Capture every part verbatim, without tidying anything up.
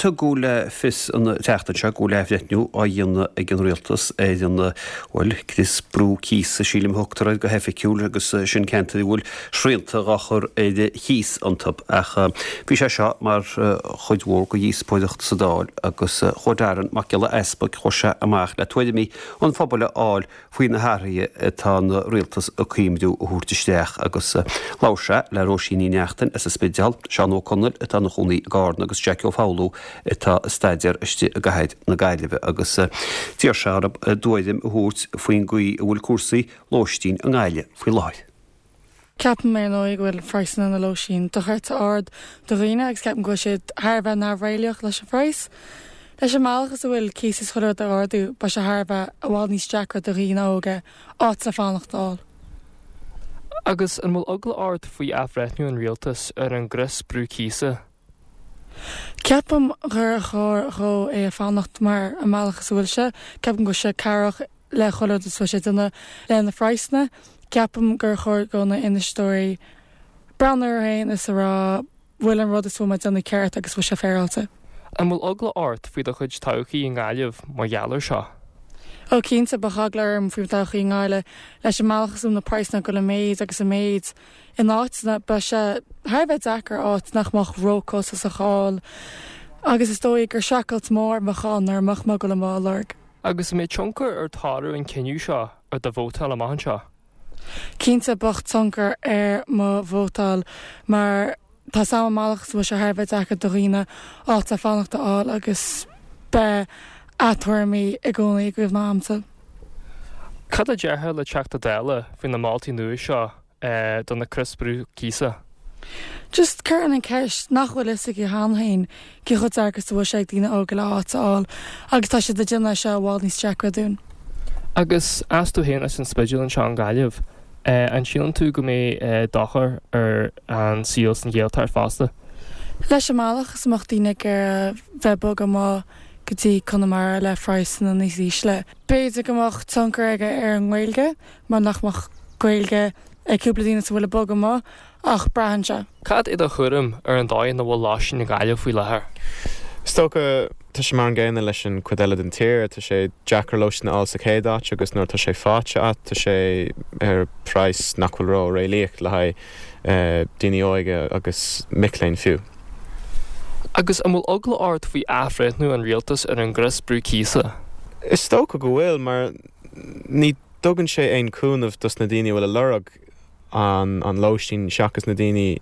Tugadh le fios an tseachtain seo go bhfuil athbhreithniú á dhéanamh ag an rialtas ar an bhuel crios brú cíosa sílim a thugtar air go hoifigiúil agus sin ceantair a bhfuil srianta á chur ar chíos iontu ach bhí sé seo mar chuid mhór de dhíospóireacht sa Dáil agus chuaigh Darren Mac Giolla Easpaig chuaigh sé amach le tuairimí an phobail a fháil faoi na hathruithe atá an rialtas ag cuimhniú a thabhairt isteach agus labhair sé le Róisín Ní Neachtain as an Spidéal, Seán Ó Conaill atá ina chónaí i gCarna agus Jackie Ó Foghlú atá ag staidéar istigh i gcathair na Gaillimhe agus d'iarr sé orthu a dtuairim a thabhairt faoin gcaoi a bhfuil cúrsaí lóistín i nGaillimh faoi láthair. Ceapaim ar ndóigh go bhfuil praghsanna na lóistín dochreidte ard do dhaoine agus ceapaim go bhfuil siad thar a bheith neamhréalaíoch leis an phraghas. Leis an mbealach is a bhfuil cíos is chuile rud ag ardú, beidh sé thar a bheith i bhfad níos deacra do dhaoine óga áit le fanacht a fháil. Agus an bhfuil eagla ort faoi athbhreithniú an rialtas ar an gcrios brú cíosa? Ceapaim gur chóir dhó é a fanacht mar an mbealach is a bhfuil sé, ceapaim go bhfuil sé cabhrach le chuile rud is bhfuil sé ag déanamh le na praghsanna, ceapaim gur chóir do na infheisteoirí breathnú orthu féin is a rá bhfuil an rud is bhfuil mé ag déanamh ceart agus bhfuil sé féaráilte. An bhfuil eagla ort faoi do chuid todhchaí i nGaillimh mar gheall air seo? Ó cinnte bheadh eagla orm faoi todhchaí i nGaillimh leis an mbealach is na praghsanna go le méid agus an méid in áiteanna beidh sé thar a bheith deacair áit nach mbeadh róchostasach a fháil agus is dóigh gur streachailt mór a bheadh ann nuair a mbeadh mé ag dul amach á lorg. Agus an mbeidh tionchar ar toradh an cinneadh seo ar do vótáil amach anseo? Cinnte beidh tionchar ar mo vótáil mar tá sam amach bhfuil sé thar a bheith deacair do dhaoine áit le fanacht a fháil agus beidh a dtuairimí i gcónaí i gcuimhne agamsa. Cad a déarfá le Teachta Dála faoi na moltaí nua seo do na crios brú cíosa? Just cuireann an ceist nach bhfuil fhios aige cheana féin cé chomh deacair is a bhfuil sé ag daoine óga le áit a fháil agus tá siad ag déanamh seo i bhfad níos deacra dúinn. Agus as tú féin as an Spidéal anseo i nGaillimh, an síleann tú go mbeidh dochar ar an saol san Ghaeltacht fosta? Leis an mbealach is mbeadh daoine ag bheith bogadh amach go dtí Conamara le praghsanna níos ísle. B'fhéidir go mbeadh tionchar aige ar an nGaeilge mar nach mbeadh Gaeilge ag cúpla daoine sa bhfuil ag bogadh amach ach braitheann sé. Cad é do thuairim ar an dóigh ina bhfuil lóistín i Gaillimh faoi láthair? Is dócha tá sé mar an gcéanna leis an cuid eile den tír, tá sé deacair lóistín a fháil sa chéad áit agus nuair tá sé faighte agat tá sé ar praghas nach bhfuil ró réalaíoch le haghaidh daoine óga agus mic léinn fiú. Agus an bhfuil eagla ort faoi athbhreithniú an rialtas ar an gcrios brú cíosa? Is dócha go bhfuil mar ní dtugann sé aon chúnamh dos na daoine a bhfuil ag lorg an an lóistín seachas na daoine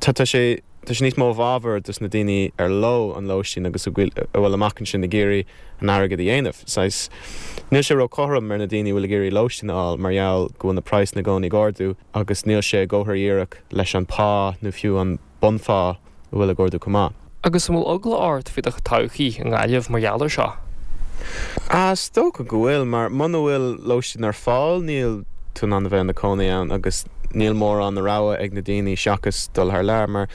tá tá sé tá sé níos mó i bhfabhar dos na daoine ar leo an lóistín agus a bhfuil amach ansin ag iarraidh an airgead a dhéanamh. Saghas níl sé ró-chothrom ar na daoine a bhfuil ag iarraidh lóistín a fháil mar gheall go bhfuil na praghsanna i gcónaí ag ardú agus níl sé i gcomhar dhíreach leis an pá nó fiú an bunphá a bhfuil ag ardú chomh maith. Agus an bhfuil eagla ort faoi do todhchaí i nGaillimh mar gheall air seo? Is dócha go bhfuil mar muna bhfuil lóistín ar fáil níl tú in ann a bheith ina cónaí ann agus níl mórán na rogha ag na daoine seachas dul thar lear mar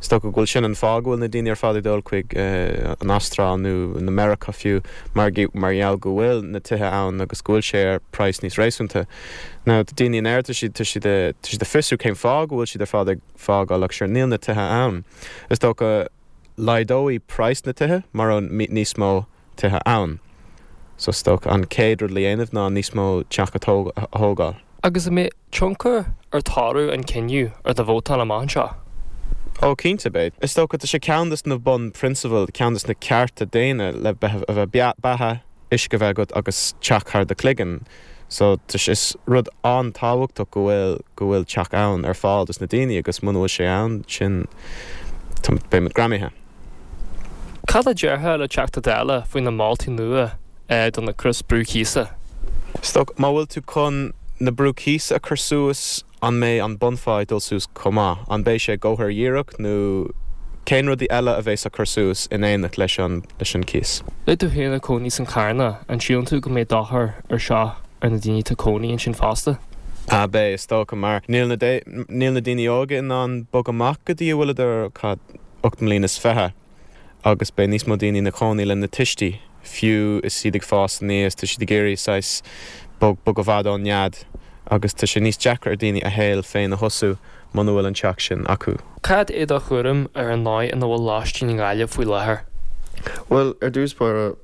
is dócha go bhfuil sin an fáth go bhfuil na daoine ar fad ag dul chuig an Astráil nó na Meiriceá fiú mar mar gheall go bhfuil na tithe ann agus go bhfuil sé ar praghas níos réasúnta. Now daoine in Éirinn tá siad tá siad tá siad ag fiosrú cén fáth go bhfuil siad ar fad ag fágáil ach sure níl na tithe ann. Is dócha laghdóidh praghas na tithe mar an níos mó tithe ann. So is dócha an chéad rud le dhéanamh ná níos mó teach a thógáil. Agus an mbeidh tionchar ar toradh an cinneadh ar do vótáil amach anseo? Ó cinnte beidh. Is dócha tá sé ceann des na bunphrionsabail ceann des na cearta daonna le a bheith beatha uisce bheith agat agus teach thar do chloigeann. So is rud an-tábhachtach go bhfuil go bhfuil teach ann ar fáil dos na daoine agus muna bhfuil sé ann sin beidh muid greamaithe. Cad a déarfá le Teachta Dála faoi na moltaí nua do na crios brú cíosa? Is dócha má bhfuil tú chun na brú cíosa a chur suas an mbeidh an bunphá ag dul suas chomh maith, an beidh sé comhar dhíreach nó cén rudaí eile a bheas á cur suas in éineacht leis an leis an cíos. Le tú féin ag cónaí san Charna an síleann tú go mbeidh dochar ar seo ar na daoine atá cónaí ansin fosta? A beidh is dócha mar níl na níl na daoine óga in ann bogadh amach go dtí a bhfuileadar cad ocht mbliana is fiche agus beidh níos mó daoine ina chónaí le na tuistí fiú is iad ag fás aníos tá siad ag iarraidh saghas bog bog i bhfad ón nead agus tá sé níos deacra ar daoine a shaol féin a thosú muna bhfuil an teach sin acu. Cad é do thuairim ar an dóigh ina bhfuil lóistín i nGaillimh faoi láthair? Bhuel, ar dtús báire,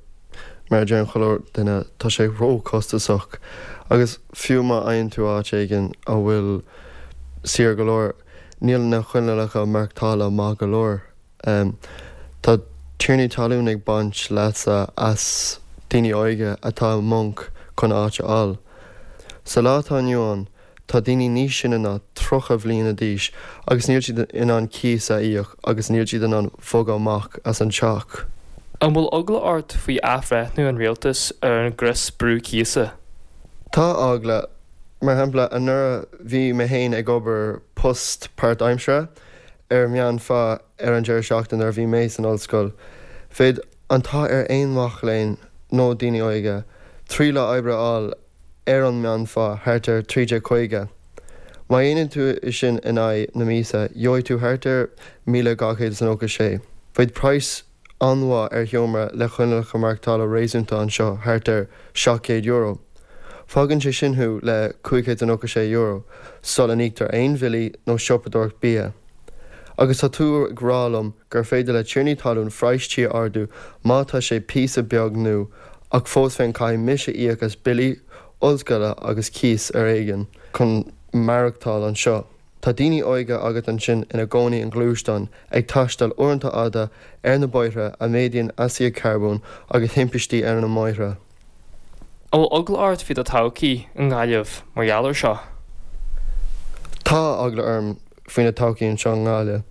mar a deireann chuile duine, tá sé ró-chostasach agus fiú má fhaigheann tú áit éigin a bhfuil saor go leor, níl na coinníollacha maireachtála maith go leor. Tá tiarnaí talún ag baint leasa as daoine óige atá i mponc chun áit a fháil. Sa lá atá inniu ann, tá daoine níos sine ná tríocha bhliana d'aois agus níl siad in ann cíos a íoc agus níl siad in ann bogadh amach as an teach. An bhfuil eagla ort faoi athbhreithniú an rialtais ar an gcrios brú cíosa? Tá eagla. Mar shampla, anuraidh bhí mé féin ag obair post páirtaimseartha ar mheánphá ar an deireadh seachtaine nuair a bhí mé san ollscoil. Bheadh an t-ádh ar aon mhac léinn nó daoine óige trí lá oibre a fháil ar an meánphá thart ar trí déag caoga. Má dhéanann tú é sin in aghaidh na míosa, gheobhaidh tú thart ar míle dhá chéad is nócha sé. Bheadh praghas an-mhaith ar sheomra le coinníollacha maireachtála réasúnta anseo thart ar seacht gcéad euro. Fágann sé sin thú le cúig chéad is nócha sé euro sula n-íoctar aon bhillí nó siopadóireacht bia. Agus tá tú ag rá liom gur féidir le tiarnaí talún praghas tí a ardú má tá sé píosa beag nua ach fós féin caithfidh mise íoc as billí ollscoile agus cíos ar éigean chun maireachtáil anseo. Tá daoine óige agat ansin ina gcónaí i ngluaisteáin, ag taisteal uaireanta fhada ar na bóithre a mhéadaíonn astaíocht carbóin agus thimpistí ar na mbóithre. An bhfuil eagla ort faoi do todhchaí i nGaillimh mar gheall air seo? Tá eagla orm faoina todhchaí anseo i nGaillimh.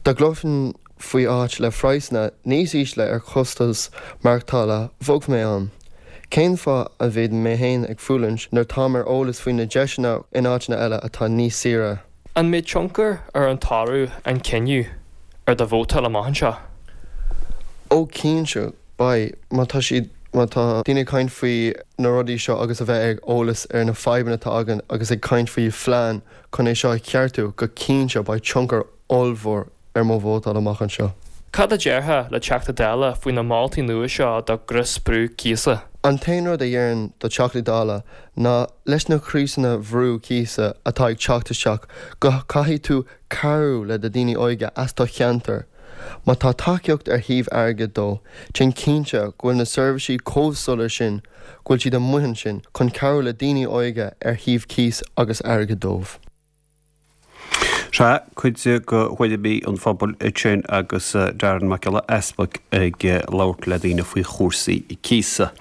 Dá gcloisfinn faoi áit le praghsanna níos ísle ar chostas maireachtála, bhogfainn mé ann. Cén fáth a mbeidh mé féin ag fulaingt nuair táim ar eolas faoi na deiseanna in áiteanna eile atá níos saoire? An mbeidh tionchar ar an toradh, an cinneadh, ar do vótáil amach anseo? Ó cinnte, beidh. Má tá siad, má tá daoine ag caint faoi na rudaí seo agus a bheith ag eolas ar na fadhbanna atá againn agus ag caint faoi phlean chun é seo a cheartú, go cinnte beidh tionchar ollmhór ar mo vótáil amach anseo. Cad a déarfá le Teachta Dála faoi na moltaí nua seo do ghrios brú cíosa? An t-aon rud a dhéarfainn do Teachtaí Dála ná leis na criosanna bhrú cíosa atá ag teacht isteach go caithfidh tú cabhrú le do daoine óige as do cheantar. Má tá tacaíocht ar thaobh airgid dó, déan cinnte go bhfuil na seirbhísí chomh soiléir sin go bhfuil siad amuigh ansin chun cabhrú le daoine óige ar thaobh cíos agus airgead dóibh. Sea, cuid de thuairimí an phobail ansin agus Darren Mac Giolla Easpaig ag labhairt le daoine faoi chúrsaí cíosa.